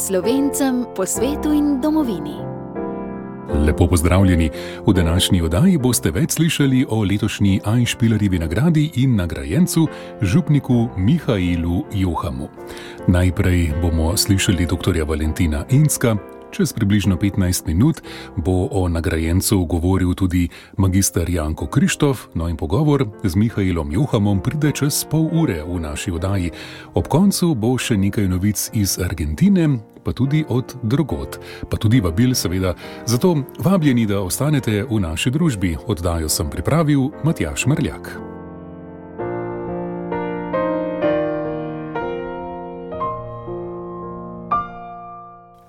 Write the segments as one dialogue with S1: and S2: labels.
S1: Slovencem po svetu in domovini.
S2: Lepo pozdravljeni. V današnji oddaji boste več slišali o letošnji Einspielerjevi nagradi in nagrajencu, župniku Mihailu Johamu. Najprej bomo slišali dr. Valentina Incka. Čez približno 15 minut bo o nagrajencu govoril tudi magister Janko Krištof, no in pogovor z Mihailom Johamom pride čez pol ure v naši oddaji. Ob koncu bo še nekaj novic iz Argentine, pa tudi od drugod, pa tudi vabil seveda. Zato vabljeni, da ostanete v naši družbi. Oddajo sem pripravil Matjaž Mrljak.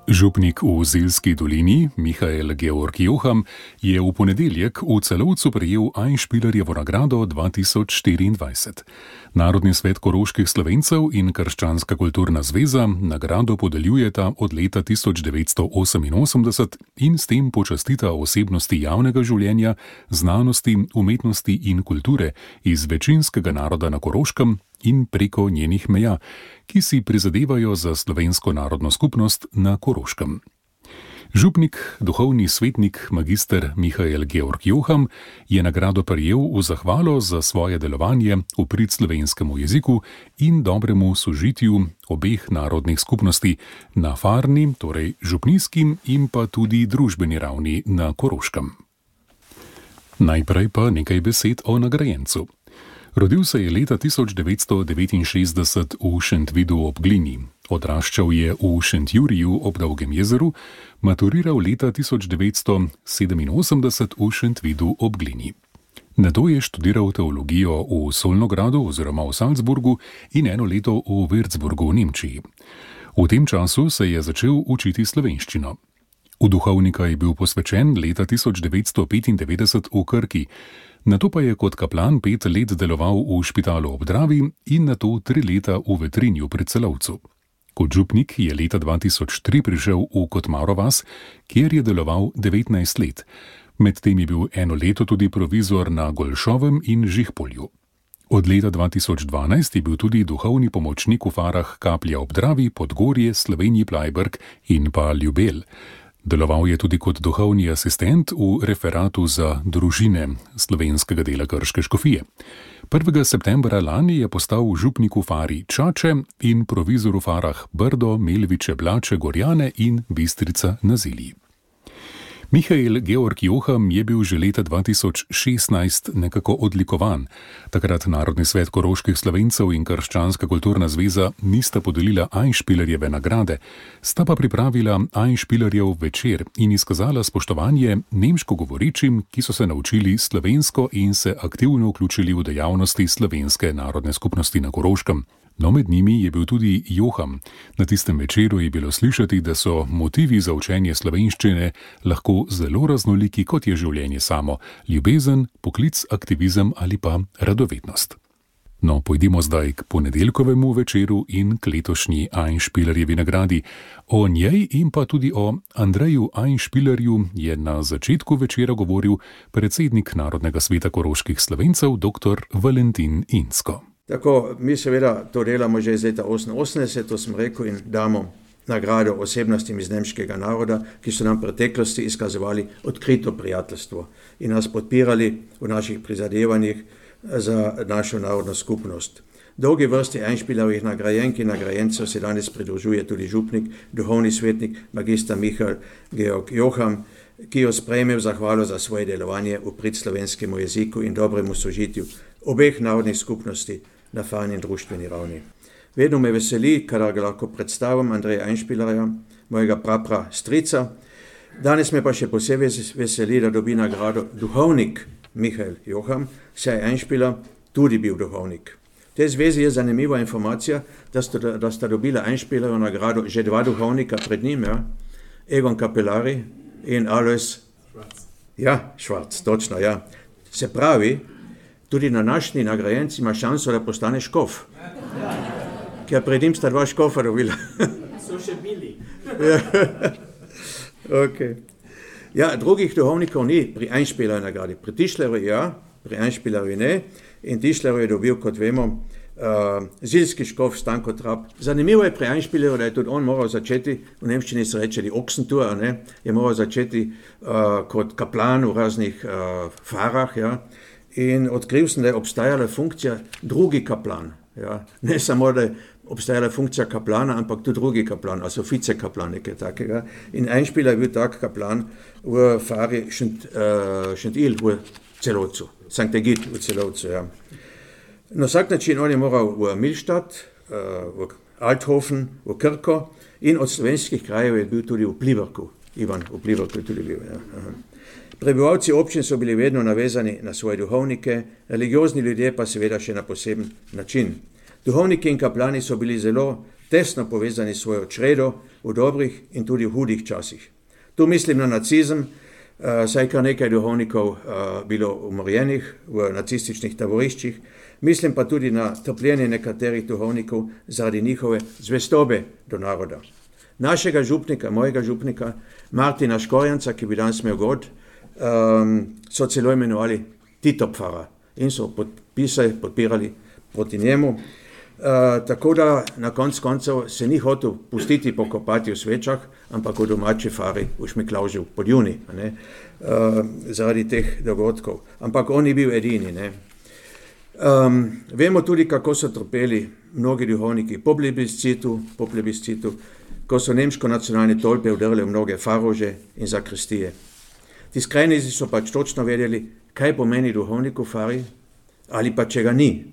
S2: Župnik v Ziljski dolini, Mihail Georg Joham, je v ponedeljek v Celovcu prejel Einspielerjevo nagrado 2024. Narodni svet koroških Slovencev in Krščanska kulturna zveza nagrado podeljujeta od leta 1988 in s tem počastita osebnosti javnega življenja, znanosti, umetnosti in kulture iz večinskega naroda na Koroškem in preko njenih meja, ki si prizadevajo za slovensko narodno skupnost na Koroškem. Župnik, duhovni svetnik magister Mihail Georg Joham je nagrado prejel v zahvalo za svoje delovanje v prid slovenskemu jeziku in dobremu sožitju obeh narodnih skupnosti na farni, torej župnijski in pa tudi družbeni ravni na Koroškem. Najprej pa nekaj besed o nagrajencu. Rodil se je leta 1969 v Šentvidu ob Glini. Odraščal je v Šentjuriju ob Dolgem jezeru, maturiral leta 1987 v Šentvidu ob Glini. Nato je študiral teologijo v Solnogradu oziroma v Salzburgu in eno leto v Würzburgu v Nemčiji. V tem času se je začel učiti slovenščino. V duhovnika je bil posvečen leta 1995 v Krki. Nato pa je kot kaplan 5 let deloval v Špitalu ob Dravi in nato 3 leta v Vetrinju pri Celovcu. Kot župnik je leta 2003 prišel v Kotmaro vas, kjer je deloval 19 let. Medtem je bil eno leto tudi provizor na Golšovem in Žihpolju. Od leta 2012 je bil tudi duhovni pomočnik v farah Kaplja ob Dravi, Podgorje, Slovenji Plajberg in pa Ljubelj. Deloval je tudi kot duhovni asistent v referatu za družine slovenskega dela Krške škofije. 1. septembra lani je postal župnik v fari Čače in provizor v farah Brdo, Melviče, Blače, Gorjane in Bistrica na Zilji. Mihail Georg Joham je bil že leta 2016 nekako odlikovan. Takrat Narodni svet koroških Slovencev in Krščanska kulturna zveza nista podelila Einspielerjeve nagrade, sta pa pripravila Einspielerjev večer in izkazala spoštovanje nemško govorečim, ki so se naučili slovensko in se aktivno vključili v dejavnosti slovenske narodne skupnosti na Koroškem. No, med njimi je bil tudi Joham. Na tistem večeru je bilo slišati, da so motivi za učenje slovenščine lahko zelo raznoliki, kot je življenje samo: ljubezen, poklic, aktivizem ali pa radovednost. No, pojdimo zdaj k ponedeljkovemu večeru in k letošnji Einspielerjevi nagradi. O njej in pa tudi o Andreju Einspielerju je na začetku večera govoril predsednik Narodnega sveta koroških Slovencev dr. Valentin Incko.
S3: Tako, mi seveda to delamo že iz leta 1988, to sem rekel, in damo nagrado osebnostim iz nemškega naroda, ki so nam v preteklosti izkazovali odkrito prijateljstvo in nas podpirali v naših prizadevanjih za našo narodno skupnost. Dolgi vrsti Einspielerjevih nagrajenk in nagrajencev se danes pridružuje tudi župnik, duhovni svetnik magister Mihail Georg Joham, ki jo sprejme v zahvalo za svoje delovanje v prid slovenskemu jeziku in dobremu sožitju obeh narodnih skupnosti na farni in društveni ravni. Vedno me veseli, kadar ga lahko predstavim Andreja Einspielerja, mojega prapra strica. Danes me pa še posebej veseli, da dobi nagrado duhovnik Mihail Joham, saj je Einspieler tudi bil duhovnik. V tej zvezi je zanimiva informacija, da sta dobila Einspielerjevo nagrado že 2 duhovnika pred njim, ja? Egon Kapelari in Alois Švarc, točno, ja. Se pravi, tudi na današnji nagrajenci ima šanso, da postane škof. Ker pred njim sta 2 škofa dobila.
S4: So še bili.
S3: Okay. Ja, drugih duhovnikov ni pri Einspielerjevi nagradi. Pri Tischlerju ja, pri Einspielerju ne. In Tischler je dobil, kot vemo, Zilski škof Stanko Trap. Zanimivo je pri Einspielerju, da je tudi on moral začeti, v nemščini se reče die Ochsentour, ne? Je moral začeti kot kaplan v raznih farah, ja? In odkril sem, da je obstajala funkcija drugi kaplan. Ja? Ne samo, da je obstajala funkcija kaplana, ampak tudi drugi kaplan, also vicekaplan, nekaj takega. In Einspieler je bil tak kaplan v fari Šentil v Celovcu, Sankt Egid v Celovcu. Ja. Na vsak način on je moral v Milstadt, v Althofen, v Krko in od slovenskih krajev je bil tudi v Pliberku. Ivan v Pliberku je tudi bil. Ja. Prebivalci občin so bili vedno navezani na svoje duhovnike, religiozni ljudje pa seveda še na poseben način. Duhovniki in kaplani so bili zelo tesno povezani s svojo čredo v dobrih in tudi v hudih časih. Tu mislim na nacizem, saj kar nekaj duhovnikov bilo umorjenih v nacističnih taboriščih, mislim pa tudi na trpljenje nekaterih duhovnikov zaradi njihove zvestobe do naroda. Našega župnika, mojega župnika, Martina Škorjanca, ki bi danes imel god, so celo imenovali Titopfara in so podpirali proti njemu. Tako da na koncev se ni hotel pustiti pokopati v svečah, ampak v domači fari v Šmiklaužu pod Juni, zaradi teh dogodkov. Ampak on ni bil edini. Ne. Vemo tudi, kako so trpeli mnogi duhovniki po plebiscitu, ko so nemško nacionalne tolpe vdrle v mnoge farože in zakristije. Ti skrajnici so pač točno vedeli, kaj pomeni duhovnik v fari ali pa če ga ni.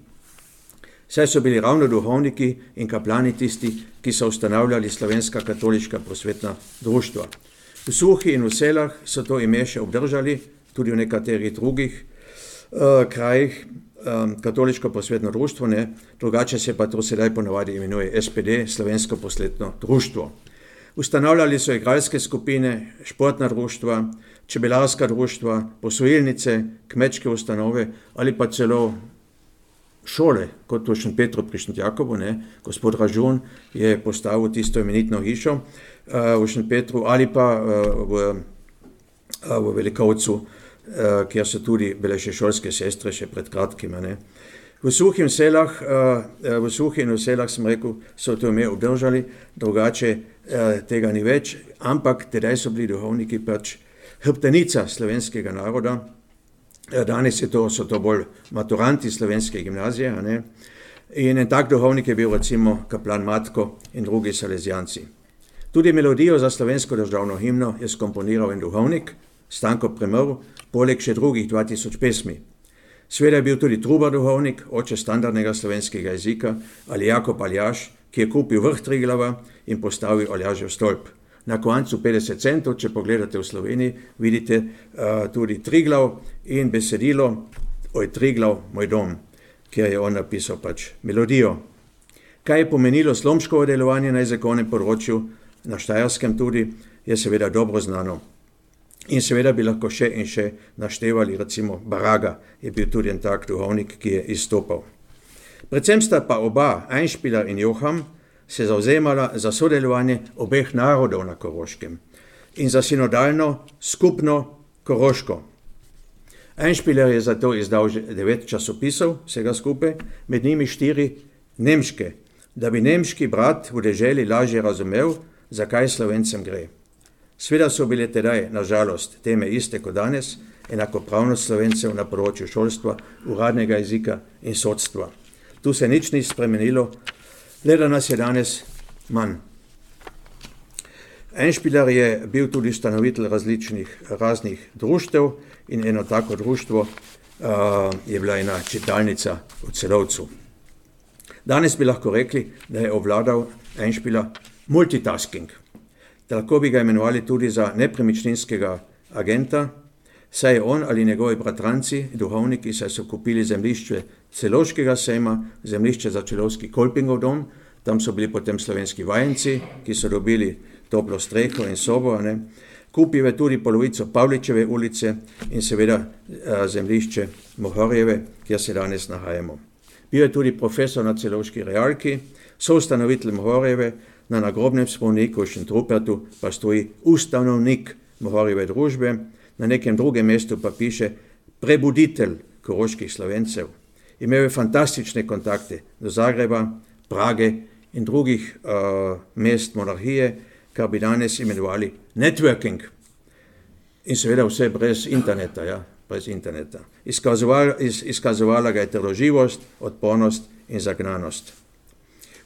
S3: Saj so bili ravno duhovniki in kaplani tisti, ki so ustanavljali slovenska katoliška prosvetna društva. V Suhi in v Selah so to ime še obdržali, tudi v nekaterih drugih krajih, katoliško prosvetno društvo, ne, drugače se pa to sedaj ponavadi imenuje SPD, slovensko prosvetno društvo. Ustanavljali so igralske skupine, športna društva, čebelarska društva, posojilnice, kmečke ustanove ali pa celo šole, kot v Šentpetru pri Šentjakobu, ne, gospod Ražun je postavil tisto imenitno hišo v Šentpetru ali pa v Velikovcu, kjer so tudi bile še šolske sestre še pred kratkim. Ne. V Suhi in v Selah, sem rekel, so to ime obdržali, drugače tega ni več, ampak tedaj so bili duhovniki pač hrbtenica slovenskega naroda. Danes so to bolj maturanti slovenske gimnazije. Ne? In en tak duhovnik je bil recimo kaplan Matko in drugi salezijanci. Tudi melodijo za slovensko državno himno je skomponiral en duhovnik, Stanko Premrl, poleg še drugih 2000 pesmi. Sveda je bil tudi Trubar duhovnik, oče standardnega slovenskega jezika, ali Jakob Aljaž, ki je kupil vrh Triglava in postavil Aljažev stolp. Na koncu 50 centov, če pogledate v Sloveniji, vidite tudi Triglav in besedilo Oj Triglav, moj dom, kjer je on napisal pač melodijo. Kaj je pomenilo slomškovo delovanje na jezikovnem področju, na Štajerskem tudi, je seveda dobro znano. In seveda bi lahko še in še naštevali, recimo Baraga je bil tudi en tak duhovnik, ki je izstopal. Predvsem sta pa oba, Einspieler in Joham, se zavzemala za sodelovanje obeh narodov na Koroškem in za sinodalno, skupno Koroško. Einspieler je zato izdal 9 časopisov, vsega skupaj, med njimi 4 nemške, da bi nemški brat v deželi lažje razumel, zakaj Slovencem gre. Sveda so bile tedaj, na žalost, teme iste kot danes, enakopravnost Slovencev na področju šolstva, uradnega jezika in sodstva. Tu se nič ni spremenilo, le da nas je danes manj. Einspieler je bil tudi ustanovitelj raznih društev in eno tako društvo je bila ena čitalnica v Celovcu. Danes bi lahko rekli, da je obvladal Einspieler multitasking. Tako bi ga imenovali tudi za nepremičninskega agenta, saj je on ali njegovi bratranci, duhovniki, saj so kupili zemljišče Celovškega sejma, zemljišče za Celovski Kolpingov dom, tam so bili potem slovenski vajenci, ki so dobili toplo streho in sobo, ne. Kupil je tudi polovico Pavličeve ulice in seveda zemljišče Mohorjeve, kjer se danes nahajamo. Bil je tudi profesor na Celovški realki, soustanovitelj Mohorjeve, na nagrobnem spomeniku v Šentrupertu pa stoji ustanovnik Mohorjeve družbe, na nekem drugem mestu pa piše prebuditelj koroških Slovencev. Imel je fantastične kontakte do Zagreba, Prage in drugih mest monarhije, kar bi danes imenovali networking. In seveda vse brez interneta, ja, brez interneta. Izkazovala ga je trdoživost, odpornost in zagnanost.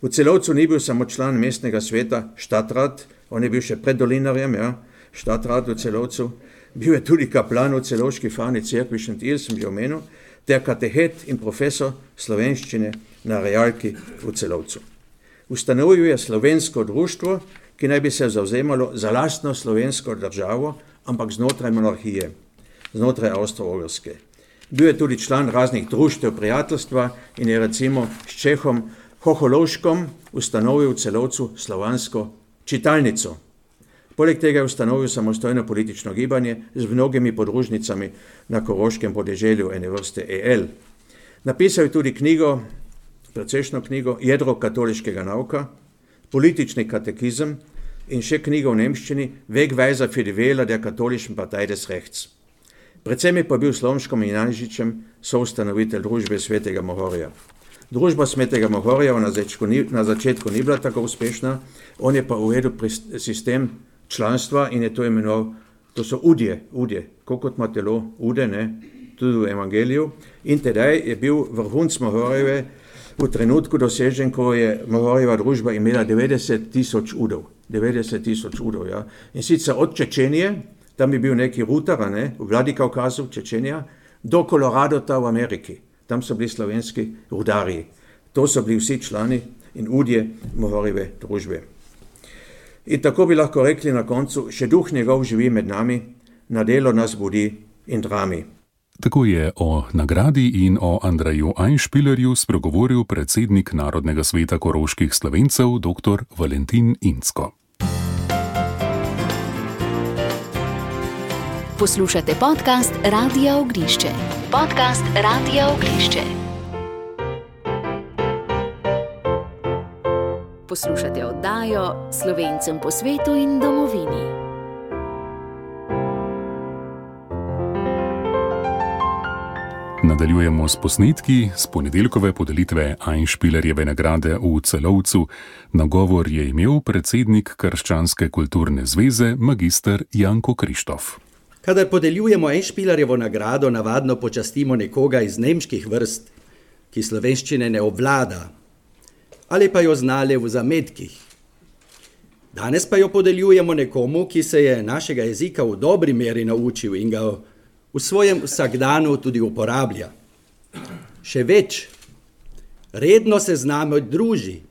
S3: V Celovcu ni bil samo član mestnega sveta, Stadtrat, on je bil še pred dolinarjem, ja, Stadtrat v Celovcu, bil je tudi kaplan v Celovški Farni cerkvi Šentilj, sem že omenil, ter katehet in profesor slovenščine na Realki v Celovcu. Ustanovil je slovensko društvo, ki naj bi se zavzemalo za lastno slovensko državo, ampak znotraj monarhije, znotraj Avstro-Ogrske. Bil je tudi član raznih društev prijateljstva in je recimo s Čehom Hoholovškom ustanovil v Celovcu slovansko čitalnico. Poleg tega je ustanovil samostojno politično gibanje z mnogimi podružnicami na koroškem podeželju ene vrste EL. Napisal je tudi knjigo, precejšno knjigo Jedro katoliškega nauka, politični katekizem in še knjigo v nemščini Wegweiser für die Wähler der katholischen Partei des Rechts. Predvsem je pa bil s Slomškom in Janžičem soustanovitelj družbe Svetega Mohorja. Družba Svetega Mohorja na začetku ni bila tako uspešna, on je pa uvedel sistem članstva in je to imenoval, to so udje, kot ima telo ude, ne, tudi v evangeliju. In tedaj je bil vrhunc Mohorjeve v trenutku dosežen, ko je Mohorjeva družba imela 90,000 udov. 90,000 udov, ja. In sicer od Čečenije, tam je bil neki rutar, ne, v Vladikavkazu, Čečenija, do Koloradota v Ameriki. Tam so bili slovenski rudarji. To so bili vsi člani in udje Mohorjeve družbe. In tako bi lahko rekli na koncu, še duh njegov živi med nami, na delo nas budi in drami.
S2: Tako je o nagradi in o Andreju Einspielerju spregovoril predsednik Narodnega sveta koroških Slovencev dr. Valentin Incko.
S1: Poslušate podcast Radia Ognišče. Podcast Radia Ognišče. Poslušate oddajo Slovencem po svetu in domovini.
S2: Nadaljujemo s posnetki z ponedeljkove podelitve Einspielerjeve nagrade v Celovcu. Nagovor je imel predsednik Krščanske kulturne zveze magister Janko Krištof.
S5: Kadar podeljujemo Einspielerjevo nagrado, navadno počastimo nekoga iz nemških vrst, ki slovenščine ne obvlada, ali pa jo znale v zametkih. Danes pa jo podeljujemo nekomu, ki se je našega jezika v dobri meri naučil in ga v svojem vsakdanu tudi uporablja. Še več, redno se z nami druži,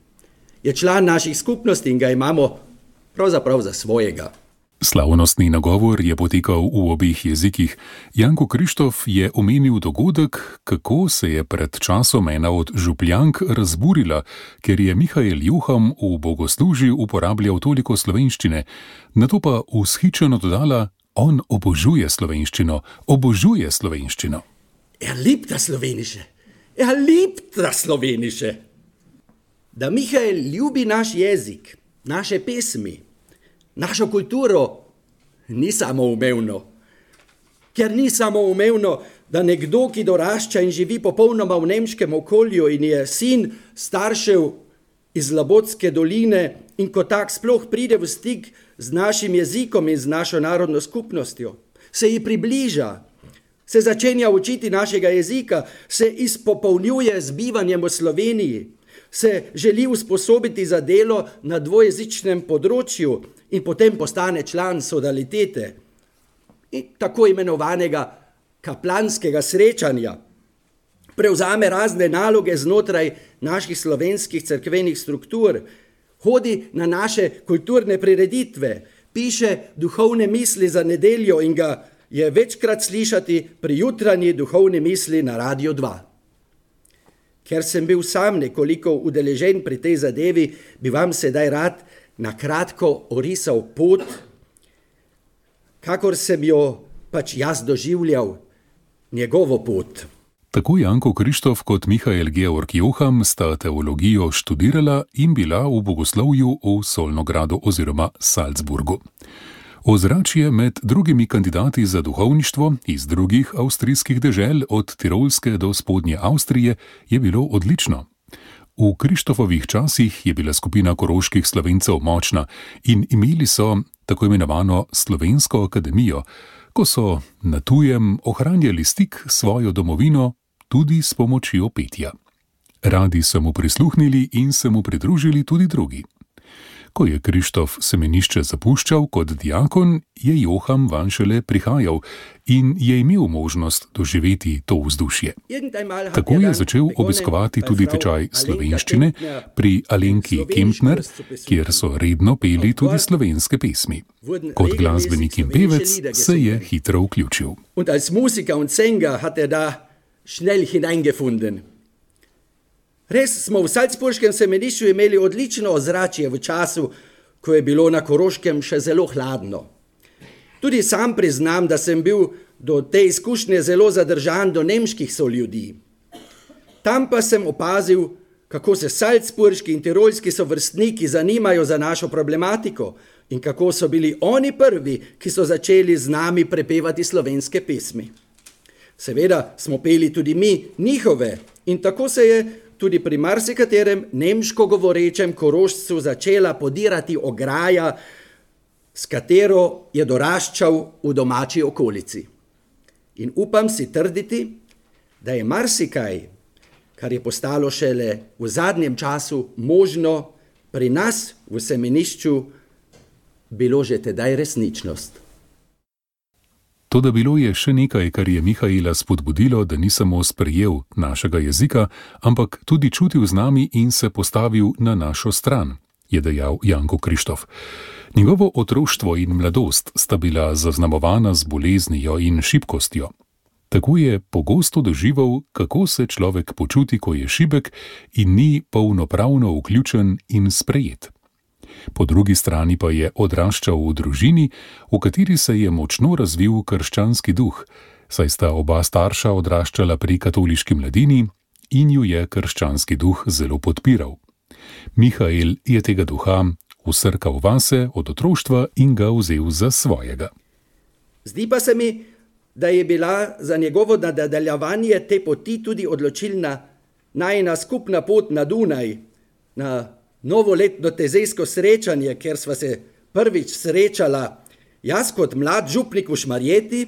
S5: je član naših skupnosti in ga imamo pravzaprav za svojega.
S2: Slavnostni nagovor je potekal v obeh jezikih. Janko Krištof je omenil dogodek, kako se je pred časom ena od župljank razburila, ker je Mihael Juham v bogoslužju uporabljal toliko slovenščine, nato pa vzhičeno dodala: on obožuje slovenščino, obožuje slovenščino.
S5: Liebt das Slovenische. Da Mihael ljubi naš jezik, naše pesmi, našo kulturo, ni samoumevno. Ker ni samoumevno, da nekdo, ki dorašča in živi popolnoma v nemškem okolju in je sin staršev iz Labotske doline in ko tak sploh pride v stik z našim jezikom in z našo narodno skupnostjo, se ji približa, se začenja učiti našega jezika, se izpopolnjuje z bivanjem v Sloveniji, se želi usposobiti za delo na dvojezičnem področju in potem postane član sodalitete in tako imenovanega kaplanskega srečanja, prevzame razne naloge znotraj naših slovenskih cerkvenih struktur, hodi na naše kulturne prireditve, piše duhovne misli za nedeljo in ga je večkrat slišati pri jutranji duhovni misli na Radio 2. Ker sem bil sam nekoliko udeležen pri tej zadevi, bi vam sedaj rad na kratko orisal pot, kakor sem jo pač jaz doživljal, njegovo pot.
S2: Tako Janko Krištof kot Mihael Georg Juham sta teologijo študirala in bila v bogoslovju v Solnogradu oziroma Salzburgu. Ozračje med drugimi kandidati za duhovništvo iz drugih avstrijskih dežel od Tirolske do spodnje Avstrije je bilo odlično. V Krištofovih časih je bila skupina koroških Slovencev močna in imeli so tako imenovano Slovensko akademijo, ko so na tujem ohranjali stik s svojo domovino tudi s pomočjo petja. Radi so mu prisluhnili in se mu pridružili tudi drugi. Ko je Krištof semenišče zapuščal kot diakon, je Joham vanj šele prihajal in je imel možnost doživeti to vzdušje. Tako je začel obiskovati tudi tečaj slovenščine pri Alenki Kempner, kjer so redno peli tudi slovenske pesmi. Kot glasbenik in pevec se je hitro vključil.
S5: In als Musiker und Sänger hat da schnell hineingefunden. Res smo v salzburškem semenišču imeli odlično ozračje v času, ko je bilo na Koroškem še zelo hladno. Tudi sam priznam, da sem bil do te izkušnje zelo zadržan do nemških soljudi. Tam pa sem opazil, kako se salzburški in tirolski sovrstniki zanimajo za našo problematiko in kako so bili oni prvi, ki so začeli z nami prepevati slovenske pesmi. Seveda smo peli tudi mi njihove in tako se je tudi pri marsikaterem nemško govorečem Korošcu začela podirati ograja, s katero je doraščal v domači okolici. In upam si trditi, da je marsikaj, kar je postalo šele v zadnjem času možno pri nas v semenišču, bilo že tedaj resničnost.
S2: Toda bilo je še nekaj, kar je Mihaela spodbudilo, da ni samo sprejel našega jezika, ampak tudi čutil z nami in se postavil na našo stran, je dejal Janko Krištof. Njegovo otroštvo in mladost sta bila zaznamovana z boleznijo in šibkostjo. Tako je pogosto doživel, kako se človek počuti, ko je šibek in ni polnopravno vključen in sprejet. Po drugi strani pa je odraščal v družini, v kateri se je močno razvil krščanski duh, saj sta oba starša odraščala pri katoliški mladini in ju je krščanski duh zelo podpiral. Mihael je tega duha vsrkal vase od otroštva in ga vzel za svojega.
S5: Zdi pa se mi, da je bila za njegovo nadaljevanje te poti tudi odločilna najina skupna pot na Dunaj, na novoletno tezejsko srečanje, kjer sva se prvič srečala, jaz kot mlad župnik v Šmarjeti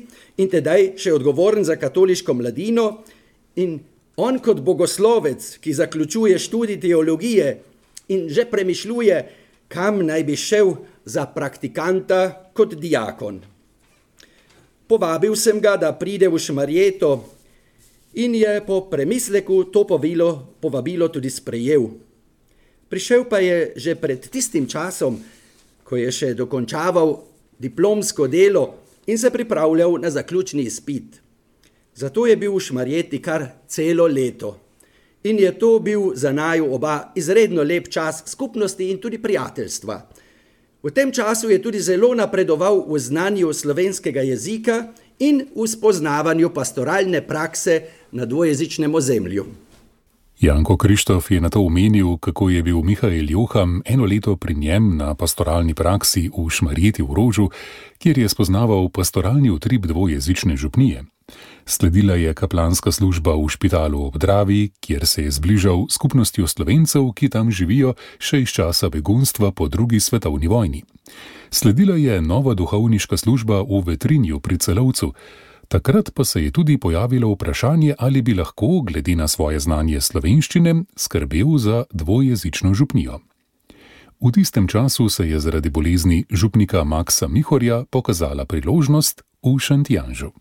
S5: in tedaj še odgovoren za katoliško mladino in on kot bogoslovec, ki zaključuje študij teologije in že premišljuje, kam naj bi šel za praktikanta kot diakon. Povabil sem ga, da pride v Šmarjeto in je po premisleku to povabilo tudi sprejel. Prišel pa je že pred tistim časom, ko je še dokončaval diplomsko delo in se pripravljal na zaključni izpit. Zato je bil v Šmarjeti kar celo leto. In je to bil za naju oba izredno lep čas skupnosti in tudi prijateljstva. V tem času je tudi zelo napredoval v znanju slovenskega jezika in v spoznavanju pastoralne prakse na dvojezičnem ozemlju.
S2: Janko Krištof je nato omenil, kako je bil Mihael Joham eno leto pri njem na pastoralni praksi v Šmarjeti v Rožu, kjer je spoznaval pastoralni utrip dvojezične župnije. Sledila je kaplanska služba v Špitalu ob Dravi, kjer se je zbližal s skupnostjo Slovencev, ki tam živijo še iz časa begunstva po drugi svetovni vojni. Sledila je nova duhovniška služba v Vetrinju pri Celovcu. Takrat pa se je tudi pojavilo vprašanje, ali bi lahko, glede na svoje znanje slovenščine, skrbel za dvojezično župnijo. V tistem času se je zaradi bolezni župnika Maksa Mihorja pokazala priložnost v Šentjanžu.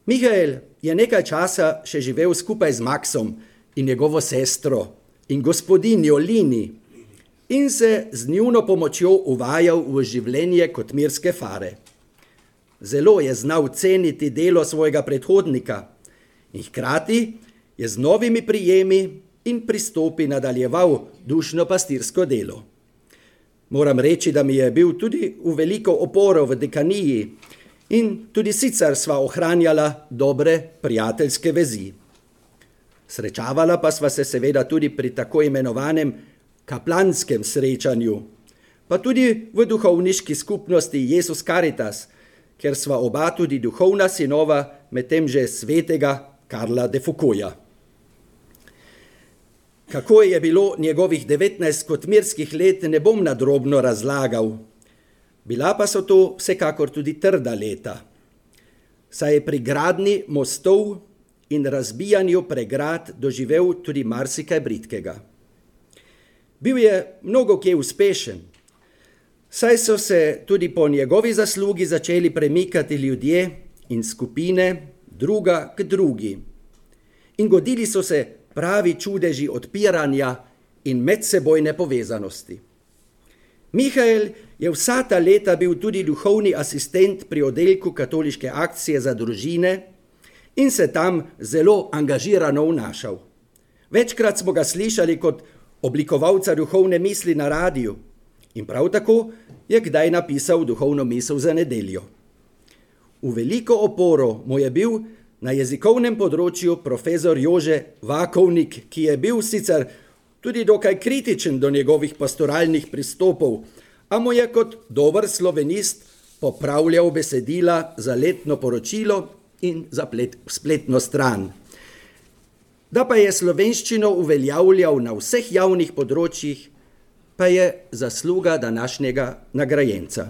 S5: Mihael je nekaj časa še živel skupaj z Maksom in njegovo sestro in gospodinjo Lini in se z njuno pomočjo uvajal v življenje kot mirske fare. Zelo je znal ceniti delo svojega predhodnika in hkrati je z novimi prijemi in pristopi nadaljeval dušno-pastirsko delo. Moram reči, da mi je bil tudi v veliko oporo v dekaniji in tudi sicer sva ohranjala dobre prijateljske vezi. Srečavala pa sva se seveda tudi pri tako imenovanem kaplanskem srečanju. pa tudi v duhovniški skupnosti Jesus Caritas, ker sva oba tudi duhovna sinova medtem že svetega Karla de Foucaulta. Kako je bilo njegovih 19 kotmirskih let, ne bom nadrobno razlagal. Bila pa so to vsekakor tudi trda leta, saj je pri gradnji mostov in razbijanju pregrad doživel tudi marsikaj bridkega. Bil je mnogokje uspešen, saj so se tudi po njegovi zaslugi začeli premikati ljudje in skupine druga k drugi. In godili so se pravi čudeži odpiranja in medsebojne povezanosti. Mihael je vsa ta leta bil tudi duhovni asistent pri oddelku Katoliške akcije za družine in se tam zelo angažirano vnašal. Večkrat smo ga slišali kot oblikovalca duhovne misli na radiju in prav tako je kdaj napisal duhovno misel za nedeljo. V veliko oporo mu je bil na jezikovnem področju profesor Jože Vakovnik, ki je bil sicer tudi dokaj kritičen do njegovih pastoralnih pristopov, a mu je kot dober slovenist popravljal besedila za letno poročilo in za spletno stran. Da pa je slovenščino uveljavljal na vseh javnih področjih, pa je zasluga današnjega nagrajenca.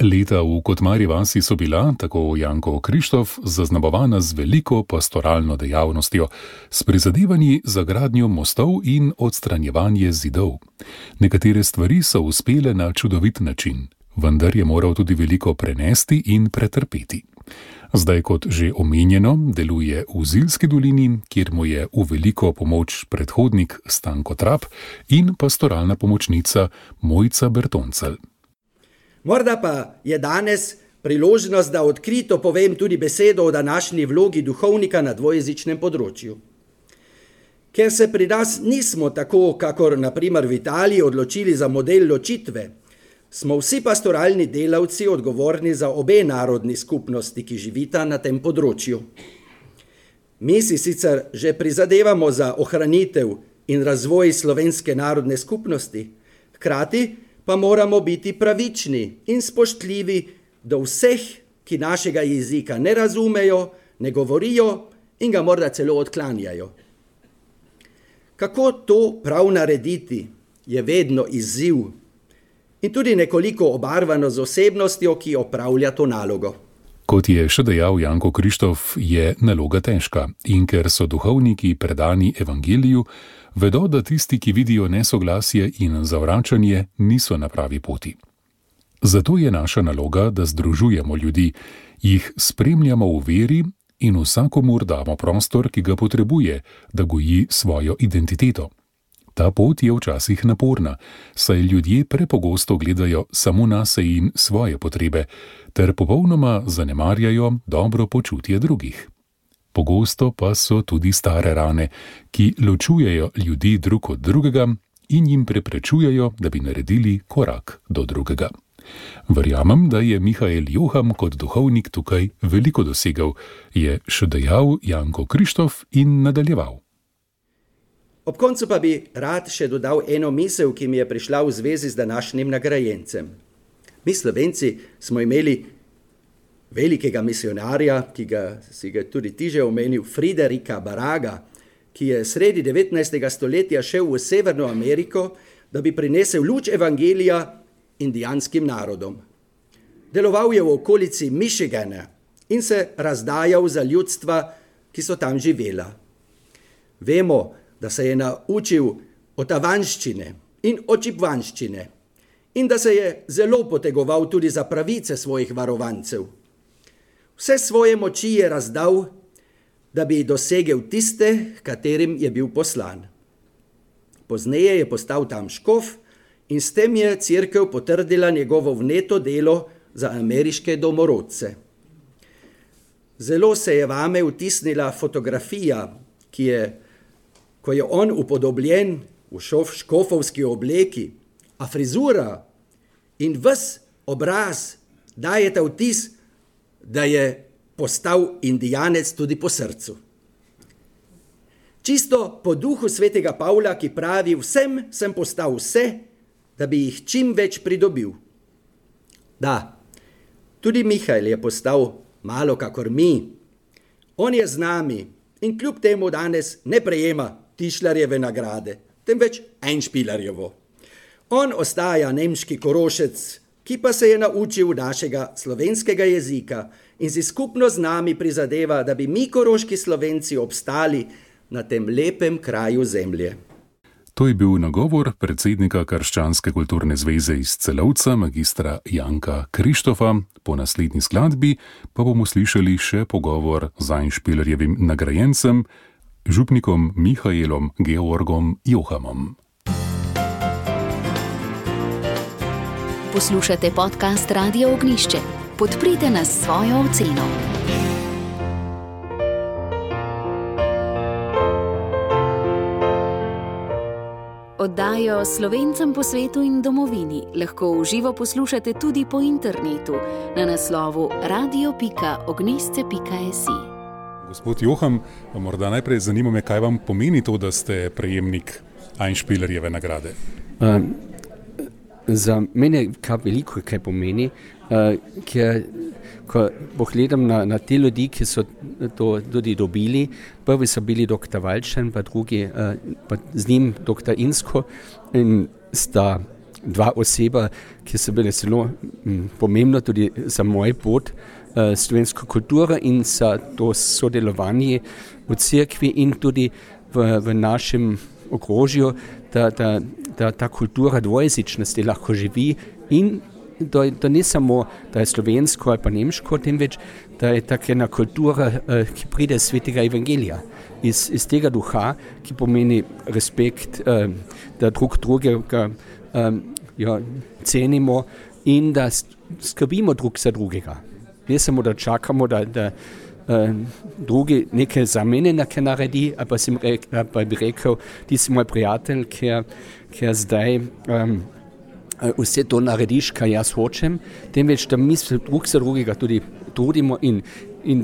S2: Leta v Kotmarji vasi so bila, tako Janko Krištof, zaznamovana z veliko pastoralno dejavnostjo, s prizadevanji za gradnjo mostov in odstranjevanje zidov. Nekatere stvari so uspele na čudovit način, vendar je moral tudi veliko prenesti in pretrpeti. Zdaj, kot že omenjeno, deluje v Zilski dolini, kjer mu je v veliko pomoč predhodnik Stanko Trap in pastoralna pomočnica Mojca Bertoncelj.
S5: Morda pa je danes priložnost, da odkrito povem tudi besedo o današnji vlogi duhovnika na dvojezičnem področju. Ker se pri nas nismo tako, kakor na primer v Italiji, odločili za model ločitve, smo vsi pastoralni delavci odgovorni za obe narodni skupnosti, ki živita na tem področju. Mi si sicer že prizadevamo za ohranitev in razvoj slovenske narodne skupnosti, hkrati pa moramo biti pravični in spoštljivi do vseh, ki našega jezika ne razumejo, ne govorijo in ga morda celo odklanjajo. Kako to prav narediti, je vedno izziv in tudi nekoliko obarvano z osebnostjo, ki opravlja to nalogo.
S2: Kot je še dejal Janko Krištof, je naloga težka in ker so duhovniki predani evangeliju, vedo, da tisti, ki vidijo nesoglasje in zavračanje, niso na pravi poti. Zato je naša naloga, da združujemo ljudi, jih spremljamo v veri in vsakomur damo prostor, ki ga potrebuje, da goji svojo identiteto. Ta pot je včasih naporna, saj ljudje prepogosto gledajo samo nase in svoje potrebe, ter popolnoma zanemarjajo dobro počutje drugih. Pogosto pa so tudi stare rane, ki ločujejo ljudi drug od drugega in jim preprečujejo, da bi naredili korak do drugega. Verjamem, da je Mihael Joham kot duhovnik tukaj veliko dosegel, je še dejal Janko Krištof in nadaljeval.
S5: Ob koncu pa bi rad še dodal eno misel, ki mi je prišla v zvezi z današnjim nagrajencem. Mi Slovenci smo imeli velikega misionarja, ki si ga tudi ti že omenil, Friderika Baraga, ki je sredi 19. stoletja šel v Severno Ameriko, da bi prinesel luč evangelija indijanskim narodom. Deloval je v okolici Michigana in se razdajal za ljudstva, ki so tam živela. Vemo, da se je naučil otavanščine in očipvanščine in da se je zelo potegoval tudi za pravice svojih varovancev. Vse svoje moči je razdal, da bi dosegel tiste, katerim je bil poslan. Pozneje je postal tam škof in s tem je cerkev potrdila njegovo vneto delo za ameriške domorodce. Zelo se je vame vtisnila fotografija, ko je on upodobljen v škofovski obleki, a frizura in ves obraz dajeta vtis, da je postal indijanec tudi po srcu. Čisto po duhu svetega Pavla, ki pravi, vsem sem postal vse, da bi jih čim več pridobil. Da, tudi Mihael je postal malo kakor mi. On je z nami in kljub temu danes ne prejema Tischlerjeve nagrade, temveč Einspielerjevo. On ostaja nemški Korošec, ki pa se je naučil našega slovenskega jezika in si skupno z nami prizadeva, da bi mi koroški Slovenci obstali na tem lepem kraju zemlje.
S2: To je bil nagovor predsednika Krščanske kulturne zveze iz Celovca, magistra Janka Krištofa. Po naslednji skladbi pa bomo slišali še pogovor z Einspielerjevim nagrajencem, župnikom Mihaelom Georgom Johamom.
S1: Poslušate podcast Radio Ognjišče. Podprite nas s svojo oceno. Oddajo Slovencem po svetu in domovini lahko v živo poslušate tudi po internetu na naslovu radio.ognisce.si.
S2: Gospod Joham, morda najprej zanima me, kaj vam pomeni to, da ste prejemnik Einspielerjeve nagrade?
S6: Za mene kar veliko kaj pomeni, ker ko pogledam na te ljudi, ki so to tudi dobili, prvi so bili dr. Valčan, pa drugi, pa z njim dr. Insko, in sta dva oseba, ki so bile zelo pomembno tudi za moj pot slovensko kulturo in za to sodelovanje v cerkvi in tudi v našem okrožju, da ta kultura dvojezičnosti lahko živi in da ne samo, da je slovensko ali pa nemško, temveč, da je taka ena kultura, ki pride iz svetega evangelija, iz tega duha, ki pomeni respekt, da drugega cenimo in da skrbimo drug za drugega. Ne samo, da čakamo, da drugi nekaj za mene nekaj naredi, pa bi rekel, ti si moj prijatelj, ker zdaj vse to narediš, kaj jaz hočem, temveč, da mi se drug za drugega tudi trudimo in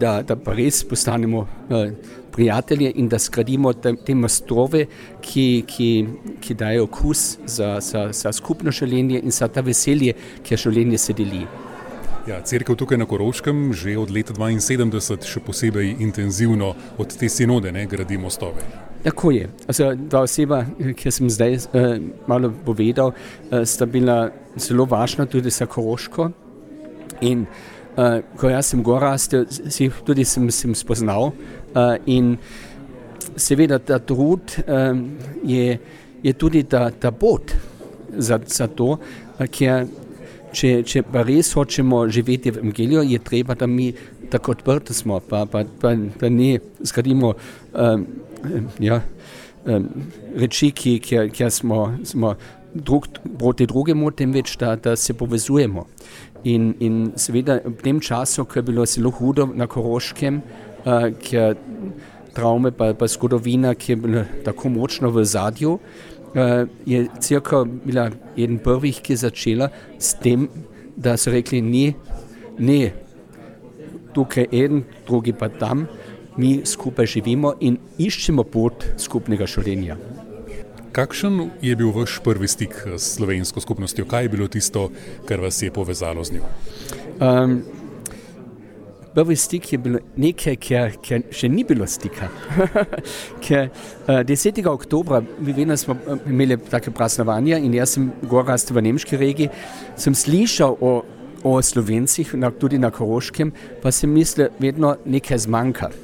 S6: da pa res postanemo prijatelje in da skradimo te mostove, ki dajo okus za skupno življenje in za ta veselje, ki življenje se deli.
S2: Ja, cerkev tukaj na Koroškem že od leta 1972 še posebej intenzivno od te sinode gradi mostove.
S6: Tako je. Ta oseba, ki sem zdaj malo povedal, sta bila zelo važna tudi za Koroško. In ko jaz sem gor rastel, tudi sem spoznal. In seveda ta trud je tudi ta pot za to, ker če pa res hočemo živeti v evangeliju, je treba, da mi tako odprti smo, pa da ne zgradimo reči, kjer smo drug proti drugemu, temveč, da se povezujemo. In seveda v tem času, ko je bilo zelo hudo na Koroškem, ker travme pa zgodovina, ki je bila tako močno v zadju, je cerkev bila eden prvih, ki je začela s tem, da so rekli, ne, tukaj eden, drugi pa tam, mi skupaj živimo in iščemo pot skupnega življenja.
S2: Kakšen je bil vaš prvi stik s slovensko skupnostjo? Kaj je bilo tisto, kar vas je povezalo z njo?
S6: Prvi stik je bilo nekaj, ker še ni bilo stika. Ker 10. oktobra, vedno smo imeli take praznovanja in jaz sem gor rastel v nemški regiji, sem slišal o Slovencih, tudi na Koroškem, pa sem mislil, vedno nekaj zmanjka.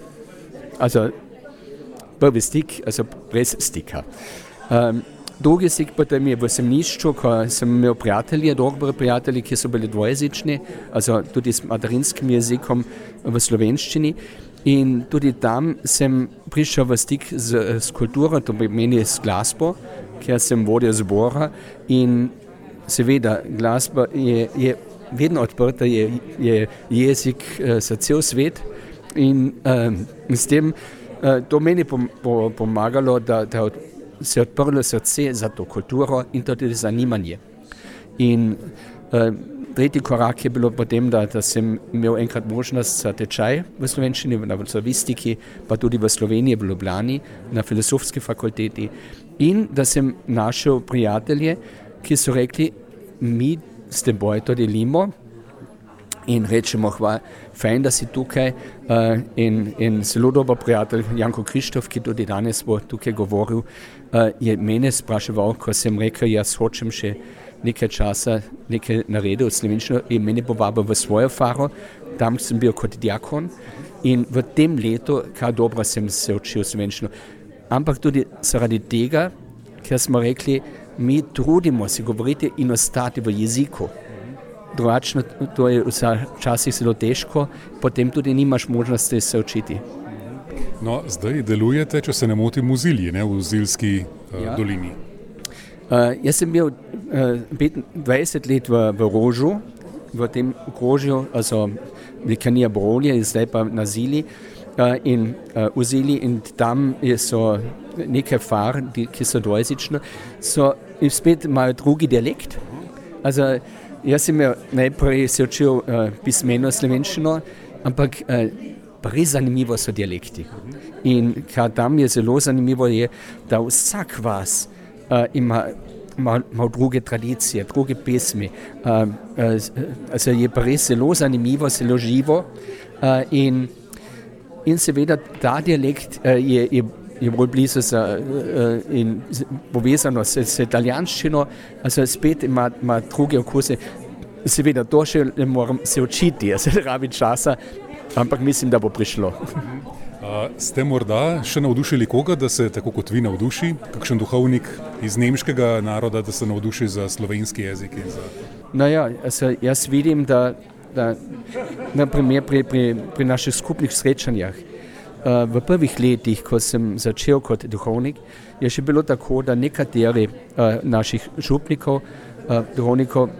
S6: Prvi stik, brez stika. Drugi stik potem je v semenišču, ko sem imel prijatelje, dobre prijatelje, ki so bili dvojezični, tudi s materinskim jezikom v slovenščini. In tudi tam sem prišel v stik s kulturo, to pomeni s glasbo, ker sem vodil zbora. In seveda glasba je vedno odprta, je jezik za cel svet. In s tem to meni pomagalo, da se je odprlo srce za to kulturo in tudi zanimanje. In tretji korak je bilo potem, da sem imel enkrat možnost za tečaj v slovenščini, na slavistiki, pa tudi v Sloveniji, v Ljubljani, na filozofski fakulteti. In da sem našel prijatelje, ki so rekli, mi s teboj to delimo in rečemo, fajn, da si tukaj in zelo dober prijatelj Janko Krištof, ki tudi danes bo tukaj govoril, je mene spraševal, ko sem rekel, jaz hočem še nekaj časa nekaj naredil od slovenščino in mene povabil v svojo faro, tam sem bil kot diakon in v tem letu, kar dobro sem se učil slovenščino. Ampak tudi zaradi tega, ker smo rekli, mi trudimo se govoriti in ostati v jeziku. Drugačno, to je včasih zelo težko, potem tudi nimaš možnosti se učiti.
S2: No, zdaj delujete, če se ne motim, v Zilji, ne, v Zilski dolini.
S6: Jaz sem bil 25 let v Rožu, v tem okrožju, also Likanija Brolje, zdaj pa na Zili in v Zili in tam so nekaj far, ki so dvojezične, in spet imajo drugi dialekt. Also, jaz sem najprej se učil pismeno slovenščino, ampak res zanimivo so dialekti. In kar tam je zelo zanimivo je, da vsak vas ima druge tradicije, druge pesmi. Also je pa res zelo zanimivo, zelo živo in seveda ta dialekt je bolj blizu in povezano s italijanščino, also spet ima druge okuse. Seveda to še ne moram se učiti, se rabi časa, ampak mislim, da bo prišlo.
S2: Ste morda še navdušili koga, da se tako kot vi navduši? Kakšen duhovnik iz nemškega naroda, da se navduši za slovenski jezik?
S6: No ja, jaz vidim, da na primer pri naših skupnih srečanjah, v prvih letih, ko sem začel kot duhovnik, je še bilo tako, da nekateri naših župnikov, duhovnikov,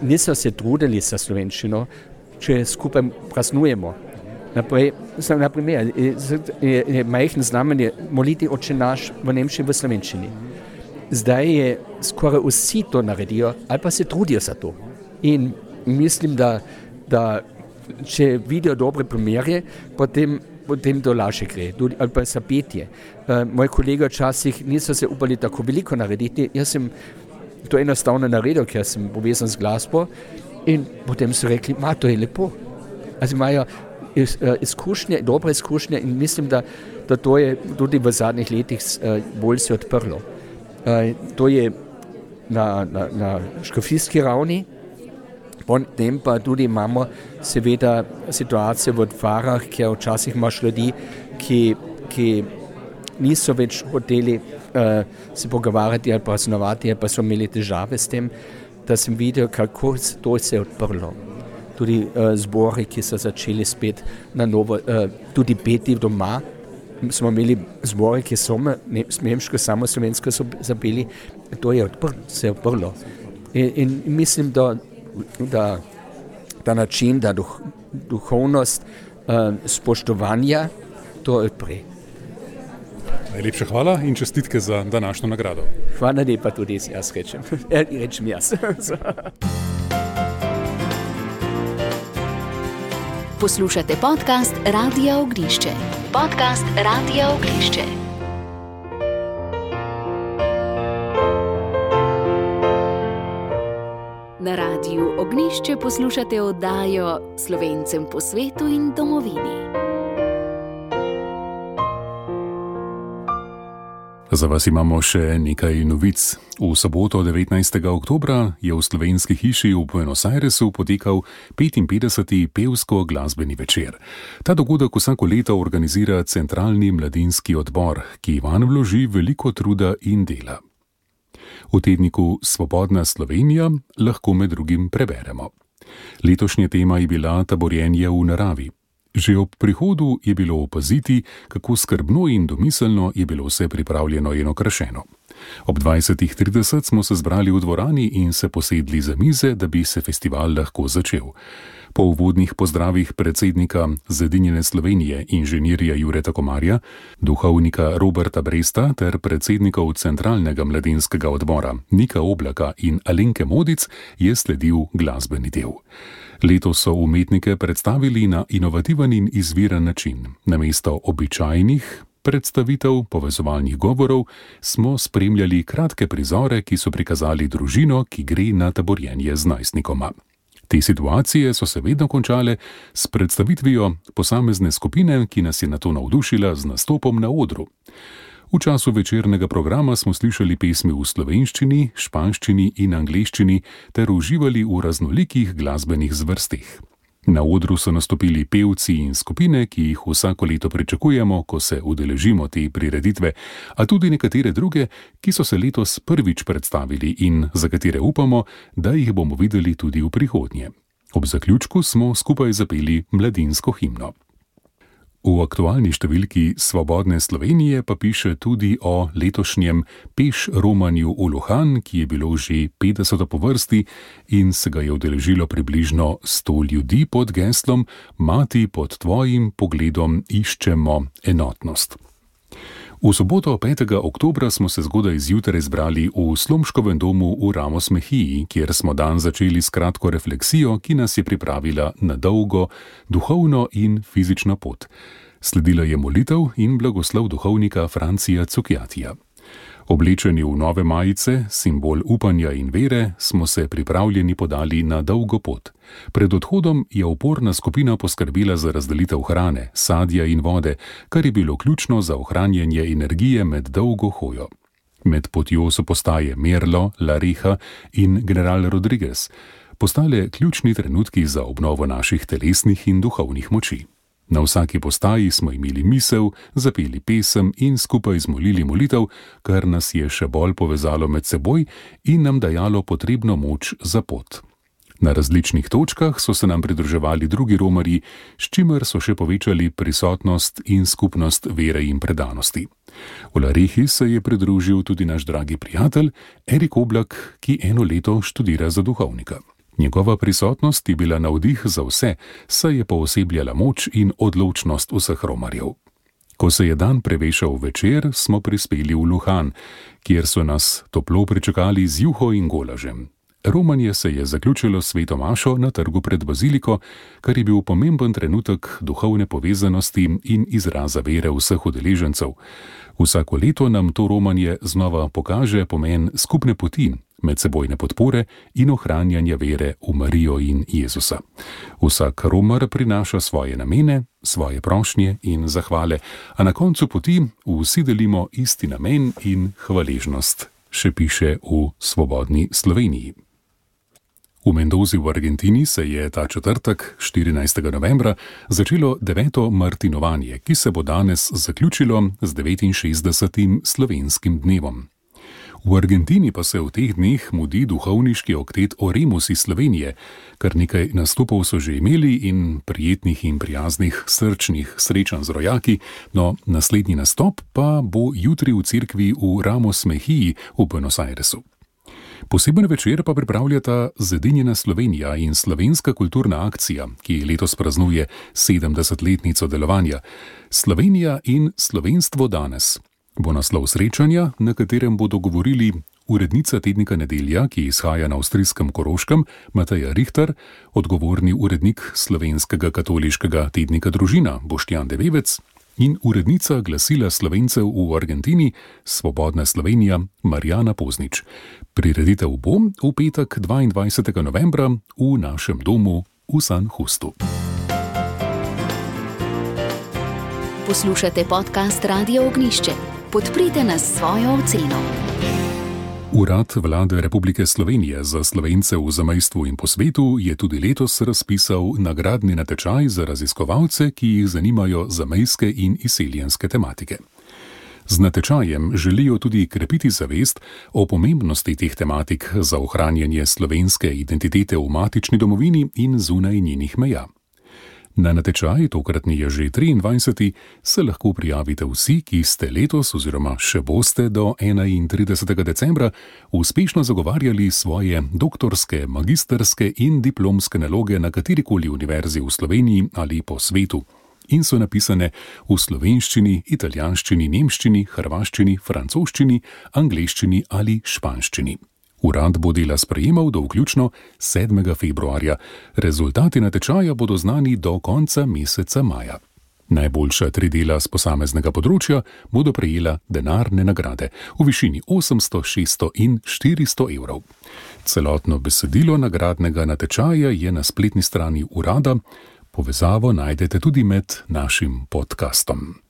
S6: niso se trudili za slovenščino, če skupaj praznujemo. Naprimer, je majhen znamen je moliti Oče naš v nemščini, v slovenščini. Zdaj je skoraj vsi to naredijo, ali pa se trudijo za to. In mislim, da če vidijo dobre primere, potem to lažje gre, ali pa za petje. Moji kolegi včasih niso se upali tako veliko narediti, jaz sem to enostavno naredil, ker sem povezan z glasbo in potem so rekli, to je lepo. Also imajo izkušnje, dobre izkušnje in mislim, da to je tudi v zadnjih letih bolj se odprlo. To je na škofijski ravni, potem pa tudi imamo seveda situacije v dvarah, kjer včasih imaš ljudi, ki niso več hoteli se pogovarjati ali praznovati, ali pa so imeli težave s tem, da sem videl, kako to se je odprlo. Tudi zbori, ki so začeli spet na novo, tudi peti doma. Smo imeli zbori, ki so nemško, samo slovensko so zapeli. To je se je odprlo. In mislim, da ta način, da duhovnost spoštovanja, to odpre.
S2: Najlepša hvala in čestitke za današnjo nagrado.
S6: Hvala lepa tudi jaz rečem. Rečem jaz.
S1: Poslušate podcast Radia Ognjišče. Podcast Radia Ognjišče. Na Radiu Ognjišče poslušate oddajo Slovencem po svetu in domovini.
S2: Za vas imamo še nekaj novic. V soboto 19. oktobra je v Slovenski hiši v Buenos Airesu potekal 55. pevsko-glasbeni večer. Ta dogodek vsako leto organizira Centralni mladinski odbor, ki vanj vloži veliko truda in dela. V tedniku Svobodna Slovenija lahko med drugim preberemo. Letošnja tema je bila taborjenje v naravi. Že ob prihodu je bilo opaziti, kako skrbno in domiselno je bilo vse pripravljeno in okrašeno. Ob 20:30 smo se zbrali v dvorani in se posedli za mize, da bi se festival lahko začel. Po uvodnih pozdravih predsednika Zedinjene Slovenije inženirja Jureta Komarja, duhovnika Roberta Bresta ter predsednikov Centralnega mladinskega odbora Nika Oblaka in Alenke Modic je sledil glasbeni del. Letos so umetnike predstavili na inovativen in izviren način. Namesto običajnih, predstavitev povezovalnih govorov smo spremljali kratke prizore, ki so prikazali družino, ki gre na taborjenje z najstnikoma. Te situacije so se vedno končale s predstavitvijo posamezne skupine, ki nas je nato navdušila z nastopom na odru. V času večernega programa smo slišali pesmi v slovenščini, španščini in angleščini ter uživali v raznolikih glasbenih zvrsteh. Na odru so nastopili pevci in skupine, ki jih vsako leto pričakujemo, ko se udeležimo te prireditve, a tudi nekatere druge, ki so se letos prvič predstavili in za katere upamo, da jih bomo videli tudi v prihodnje. Ob zaključku smo skupaj zapeli mladinsko himno. V aktualni številki Svobodne Slovenije pa piše tudi o letošnjem peš romanju v Lohan, ki je bilo že 50. po vrsti in se ga je udeležilo približno 100 ljudi pod geslom Mati, pod tvojim pogledom iščemo enotnost. V soboto 5. oktobra smo se zgodaj zjutraj zbrali v Slomškovem domu v Ramos Mehiji, kjer smo dan začeli s kratko refleksijo, ki nas je pripravila na dolgo duhovno in fizično pot. Sledila je molitev in blagoslov duhovnika Francija Cukjatija. Oblečeni v nove majice, simbol upanja in vere, smo se pripravljeni podali na dolgo pot. Pred odhodom je oporna skupina poskrbela za razdelitev hrane, sadja in vode, kar je bilo ključno za ohranjanje energije med dolgo hojo. Med potjo so postaje Merlo, La Reha in General Rodriguez postale ključni trenutki za obnovo naših telesnih in duhovnih moči. Na vsaki postaji smo imeli misel, zapeli pesem in skupaj zmolili molitev, kar nas je še bolj povezalo med seboj in nam dajalo potrebno moč za pot. Na različnih točkah so se nam pridruževali drugi romarji, s čimer so še povečali prisotnost in skupnost vere in predanosti. V La Rehi se je pridružil tudi naš dragi prijatelj Erik Oblak, ki eno leto študira za duhovnika. Njegova prisotnost je bila navdih za vse, saj je poosebljala moč in odločnost vseh romarjev. Ko se je dan prevešal večer, smo prispeli v Lohan, kjer so nas toplo pričakali z juho in golažem. Romanje se je zaključilo s sveto mašo na trgu pred baziliko, kar je bil pomemben trenutek duhovne povezanosti in izraza vere vseh udeležencev. Vsako leto nam to romanje znova pokaže pomen skupne poti, medsebojne podpore in ohranjanja vere v Marijo in Jezusa. Vsak romar prinaša svoje namene, svoje prošnje in zahvale, a na koncu poti vsi delimo isti namen in hvaležnost, še piše v Svobodni Sloveniji. V Mendozi v Argentini se je ta četrtek, 14. novembra, začelo 9. martinovanje, ki se bo danes zaključilo z 69. slovenskim dnevom. V Argentini pa se v teh dneh mudi duhovniški oktet Oremus iz Slovenije, kar nekaj nastopov so že imeli in prijetnih in prijaznih srčnih srečanj z rojaki, no naslednji nastop pa bo jutri v cerkvi v Ramos Mehiji v Buenos Airesu. Poseben večer pa pripravljata Zedinjena Slovenija in Slovenska kulturna akcija, ki letos praznuje 70-letnico delovanja. Slovenija in slovenstvo danes bo naslov srečanja, na katerem bodo govorili urednica tednika Nedelja, ki izhaja na avstrijskem Koroškem, Mateja Richter, odgovorni urednik slovenskega katoliškega tednika Družina, Boštjan Devevec, in urednica glasila Slovencev v Argentini, Svobodna Slovenija, Marjana Poznič. Prireditev bo v petek 22. novembra v našem domu v San Justu.
S1: Poslušate podcast Radio Ognjišče. Podprite nas s svojo oceno.
S2: Urad Vlade Republike Slovenije za Slovence v zamejstvu in po svetu je tudi letos razpisal nagradni natečaj za raziskovalce, ki jih zanimajo zamejske in izseljenske tematike. Z natečajem želijo tudi krepiti zavest o pomembnosti teh tematik za ohranjanje slovenske identitete v matični domovini in zunaj njenih meja. Na natečaj, tokratni je že 23. se lahko prijavite vsi, ki ste letos oziroma še boste do 31. decembra uspešno zagovarjali svoje doktorske, magisterske in diplomske naloge na katerikoli univerzi v Sloveniji ali po svetu in so napisane v slovenščini, italijanščini, nemščini, hrvaščini, francoščini, angleščini ali španščini. Urad bo dela sprejemal do vključno 7. februarja. Rezultati natečaja bodo znani do konca meseca maja. Najboljša 3 dela z posameznega področja bodo prejela denarne nagrade v višini 800, 600 in 400 evrov. Celotno besedilo nagradnega natečaja je na spletni strani urada. Povezavo najdete tudi med našim podcastom.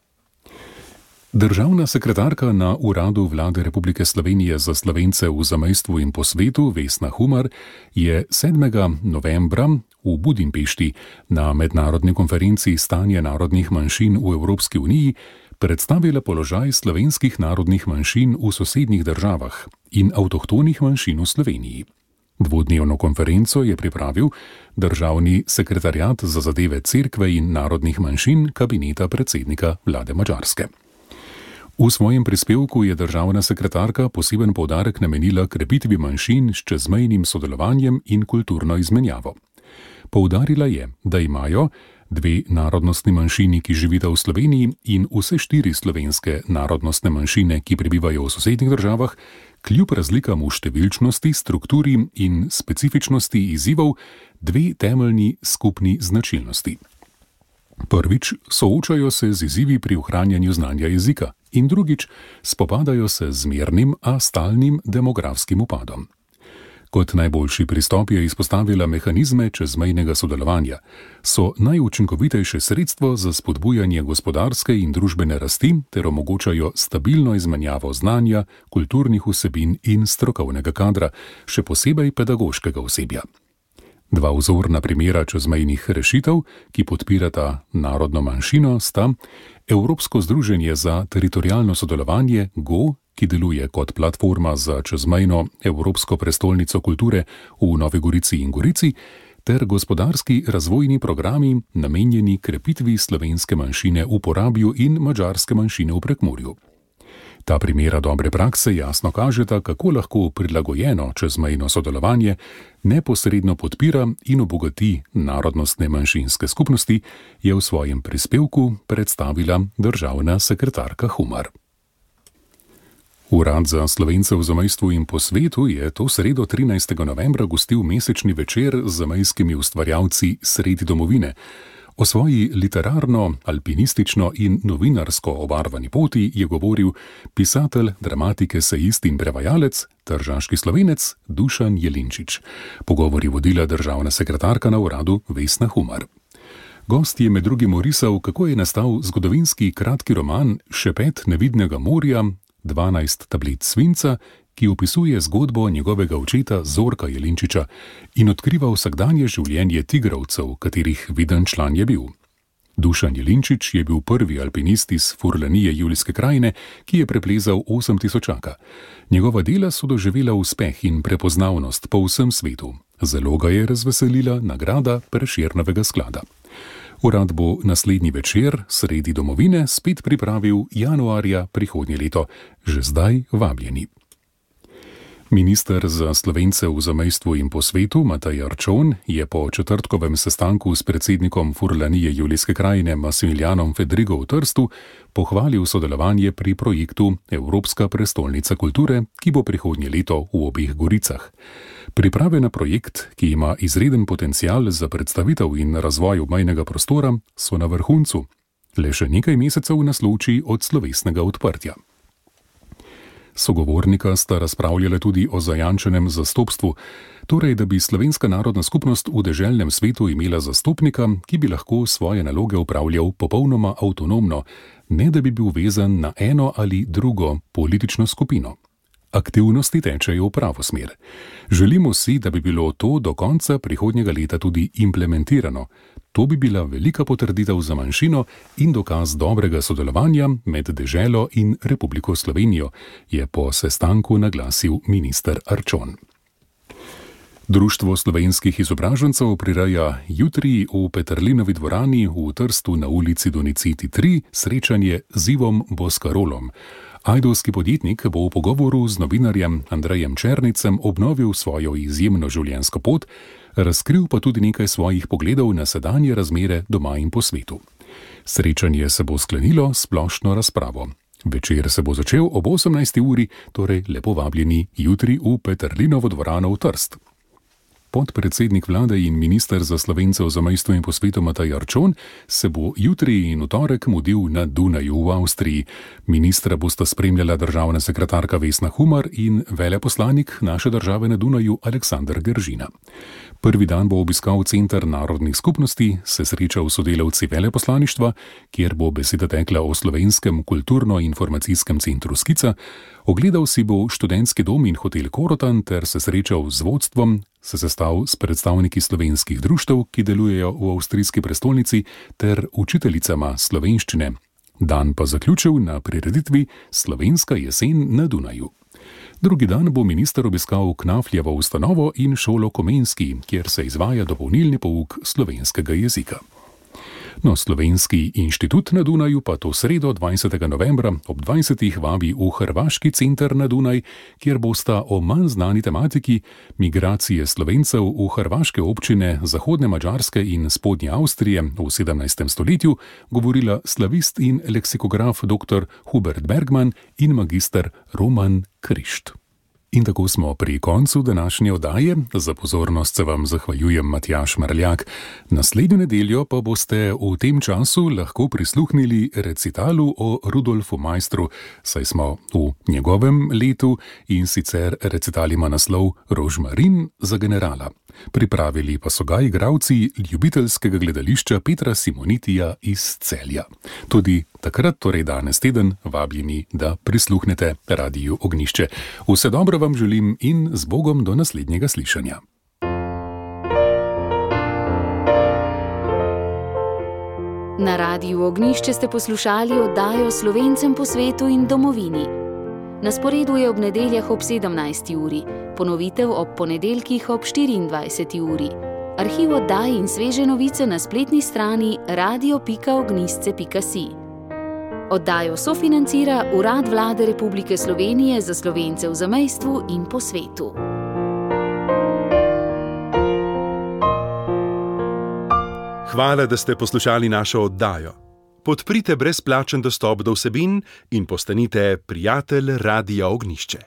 S2: Državna sekretarka na Uradu Vlade Republike Slovenije za Slovence v zamejstvu in po svetu Vesna Humar je 7. novembra v Budimpešti na mednarodni konferenci Stanje narodnih manjšin v Evropski uniji predstavila položaj slovenskih narodnih manjšin v sosednjih državah in avtohtonih manjšin v Sloveniji. Dvodnevno konferenco je pripravil Državni sekretariat za zadeve cerkve in narodnih manjšin kabineta predsednika vlade Madžarske. V svojem prispevku je državna sekretarka poseben poudarek namenila krepitvi manjšin s čezmejnim sodelovanjem in kulturno izmenjavo. Poudarila je, da imajo 2 narodnostni manjšini, ki živita v Sloveniji, in vse 4 slovenske narodnostne manjšine, ki prebivajo v sosednjih državah, kljub razlikam v številčnosti, strukturi in specifičnosti izzivov 2 temeljni skupni značilnosti. Prvič, soočajo se z izzivi pri ohranjanju znanja jezika in drugič, spopadajo se z zmernim, a stalnim demografskim upadom. Kot najboljši pristop je izpostavila mehanizme čezmejnega sodelovanja. So najučinkovitejše sredstvo za spodbujanje gospodarske in družbene rasti ter omogočajo stabilno izmenjavo znanja, kulturnih vsebin in strokovnega kadra, še posebej pedagoškega osebja. 2 vzorna primera čezmejnih rešitev, ki podpirata narodno manjšino, sta Evropsko združenje za teritorialno sodelovanje GO, ki deluje kot platforma za čezmejno Evropsko prestolnico kulture v Novi Gorici in Gorici, ter gospodarski razvojni programi namenjeni krepitvi slovenske manjšine v Porabju in madžarske manjšine v Prekmurju. Ta primera dobre prakse jasno kažeta, kako lahko prilagojeno čezmejno sodelovanje neposredno podpira in obogati narodnostne manjšinske skupnosti, je v svojem prispevku predstavila državna sekretarka Humar. Urad za Slovence v zamejstvu in po svetu je to sredo 13. novembra gostil mesečni večer z zamejskimi ustvarjalci Sredi domovine. O svoji literarno, alpinistično in novinarsko obarvani poti je govoril pisatelj, dramatik, esejist in prevajalec, tržaški Slovenec Dušan Jelinčič. Pogovor je vodila državna sekretarka na uradu Vesna Humar. Gost je med drugim orisal, kako je nastal zgodovinski kratki roman Šepet nevidnega morja, 12 tablic svinca, ki opisuje zgodbo njegovega očeta Zorka Jelinčiča in odkriva vsakdanje življenje tigrovcev, katerih viden član je bil. Dušan Jelinčič je bil prvi alpinist iz Furlanije Julijske krajine, ki je preplezal 8000. Njegova dela so doživela uspeh in prepoznavnost po vsem svetu. Zelo ga je razveselila nagrada Prešernovega sklada. Urad bo naslednji večer Sredi domovine spet pripravil januarja prihodnje leto. Že zdaj vabljeni. Minister za Slovence v zamejstvu in po svetu Matej Arčon je po četrtkovem sestanku s predsednikom Furlanije Julijske krajine Massimilijanom Fedrigo v Trstu pohvalil sodelovanje pri projektu Evropska prestolnica kulture, ki bo prihodnje leto v obeh Goricah. Priprave na projekt, ki ima izreden potencial za predstavitev in razvoj obmejnega prostora, so na vrhuncu. Le še nekaj mesecev nas loči od slovesnega odprtja. Sogovornika sta razpravljala tudi o zajančenem zastopstvu, torej da bi slovenska narodna skupnost v deželnem svetu imela zastopnika, ki bi lahko svoje naloge opravljal popolnoma avtonomno, ne da bi bil vezan na eno ali drugo politično skupino. Aktivnosti tečejo v pravo smer. Želimo si, da bi bilo to do konca prihodnjega leta tudi implementirano. To bi bila velika potrditev za manjšino in dokaz dobrega sodelovanja med deželo in Republiko Slovenijo, je po sestanku naglasil minister Arčon. Društvo slovenskih izobražencev prireja jutri v Peterlinovi dvorani v Trstu na ulici Doniciti 3 srečanje z Ivom Boskarolom. Ajdovski podjetnik bo v pogovoru z novinarjem Andrejem Černicem obnovil svojo izjemno življenjsko pot, razkril pa tudi nekaj svojih pogledov na sedanje razmere doma in po svetu. Srečanje se bo sklenilo s splošno razpravo. Večer se bo začel ob 18. uri, torej lepo vabljeni jutri v Peterlinovo dvorano v Trst. podpredsednik vlade in minister za Slovence v zamejstvu in po svetu Matej Arčon se bo jutri in v torek mudil na Dunaju v Avstriji. Ministra bosta spremljala državna sekretarka Vesna Humar in veleposlanik naše države na Dunaju Aleksander Geržina. Prvi dan bo obiskal Center narodnih skupnosti, se srečal s sodelavci veleposlaništva, kjer bo beseda tekla o slovenskem kulturno-informacijskem centru Skica, ogledal si bo študentski dom in hotel Korotan ter se srečal z vodstvom, se sestal s predstavniki slovenskih društev, ki delujejo v avstrijski prestolnici, ter učiteljicama slovenščine. Dan pa zaključil na prireditvi Slovenska jesen na Dunaju. Drugi dan bo minister obiskal Knafljevo ustanovo in šolo Komenski, kjer se izvaja dopolnilni pouk slovenskega jezika. Slovenski inštitut na Dunaju pa to sredo 20. novembra ob 20. vabi v Hrvaški center na Dunaj, kjer bosta o manj znani tematiki migracije Slovencev v hrvaške občine Zahodne Madžarske in Spodnje Avstrije v 17. stoletju govorila slavist in leksikograf dr. Hubert Bergman in magister Roman Krišt. In tako smo pri koncu današnje oddaje. Za pozornost se vam zahvaljujem Matjaž Marljak. Naslednjo nedeljo pa boste v tem času lahko prisluhnili recitalu o Rudolfu Maistru, saj smo v njegovem letu, in sicer recital ima naslov Rožmarin za generala. Pripravili pa so ga igralci ljubiteljskega gledališča Petra Simonitija iz Celja. Tudi takrat, torej danes teden, vabljeni, da prisluhnete Radiu Ognjišče. Vse dobro vam želim in z Bogom do naslednjega slišanja.
S1: Na Radiu Ognjišče ste poslušali oddajo Slovencem po svetu in domovini. Na sporedu je ob nedeljah ob 17. uri, ponovitev ob ponedeljkih ob 24. uri. Arhiv oddaj in sveže novice na spletni strani radio.ognjisce.si. Oddajo sofinancira Urad Vlade Republike Slovenije za Slovence v zamejstvu in po svetu.
S7: Hvala, da ste poslušali našo oddajo. Podprite brezplačen dostop do vsebin in postanite prijatelj Radia Ognjišče.